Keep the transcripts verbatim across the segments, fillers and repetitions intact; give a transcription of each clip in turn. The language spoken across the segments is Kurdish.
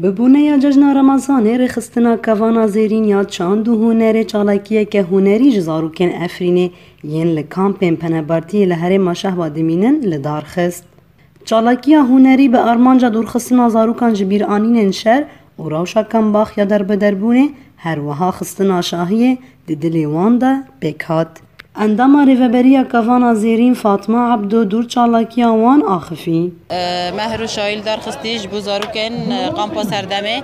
Bi boneya cejna Remezanê rêxistina Kevana Zêrîn ya çand û hunerê çalakiyeke hunerî ji zarokên Efrînê yên li kampên penabertiyê li herêma Şehba dimînin li dar xist. Çalakiya hunerî bi armanca dûrxistina zarokan ji bîranînên şer û rewşa kembax ya derbederbûnê, her wiha xistina şahiyê di dilê wan de pêk hat. Endama Rêveberiya Kevana Zêrîn Fatma Ebdo dûr çalakiya wan axifî. Me her û şahî li dar xistî ji bo zarokên, e, kampa Serdemê.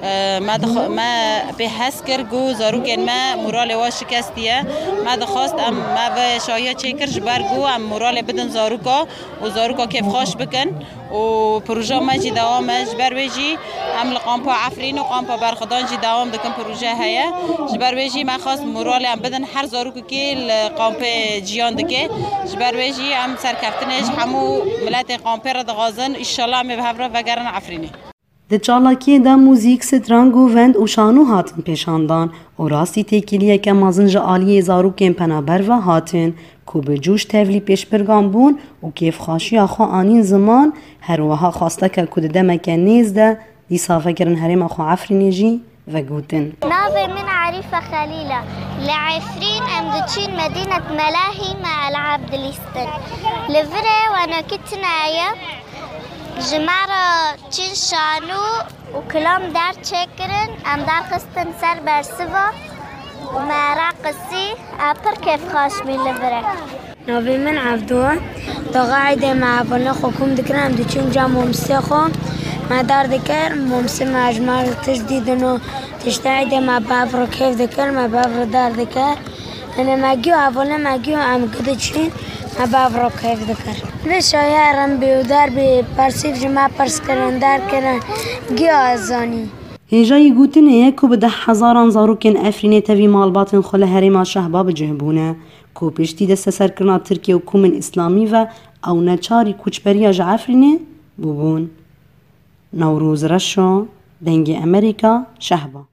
E, me dixwa-, me pê hez kir ku zarokên me moralê wan şikestiye. Me dixwest em, me ve şahiya çêkir ji ber ku em moralê bidin zaroka û zaroka kêfxweş bikin. Û proja me jî dewam e. Ji ber wê jî em li kampa Efrîn û kampa Berxwedan jî dewam dikin, proje heye. Ji ber wê jî me xwest moralê em bidin her zarokekî li kampê ciyan dike. Ji ber wê jî em serkeftinê ji hemû miletê kampê re dixwazin. Îşallah em ê bi hev re vegerin Efrînê. Di çalakiyê de muzîk, strang û vend û şano hatin pêşandan û rastî têkiliyeke mezin ji aliyê zarokên penaber ve hatin ku bi coş tevlî pêşbirgan bûn û kêfxweşiya xwe anîn ziman, her wiha xwesteke ku di demeke nêz de dîsa vegerin herêma xwe Efrînê jî vegotin. Navê min Arîfe Xelîl e. Li Efrîn em diçin Medînet Melahî me elab dilîstin. Li virê wenokî tune ye. Ji me re çin şanû û kilam derçêkirin, em derxistin ser bersiva û me reqisî, e, pir kêfxweş bî li vir e. Navê min Evdo e. Daxa eydê me hevalê xwe kom dikir, em diçin cem momsê xwe. Me dar dikir, momsê me ji me re tişt dîtin û tiştê eydê me bev re kêf dikir, me bev re dar dikir. Ene me giyo hevalê me giyo em gidiçin, me bev re kêf dikir. Vê şaye rem bê û der bê, persîv ji me pirs kirin, derkirin, giyo ez zanî. Hêjayî gotinê ye ku bi deh hezaran zarokên Efrînê tevî malbatên xwe li herêma Şehba bi cih bûne, ku piştî desteserkirina Tirkiye û komên Îslamî ve ew neçarî koçberiya ji Efrînê bûbûn. Newroz Reşo, Dengê Emerîka, Şehba.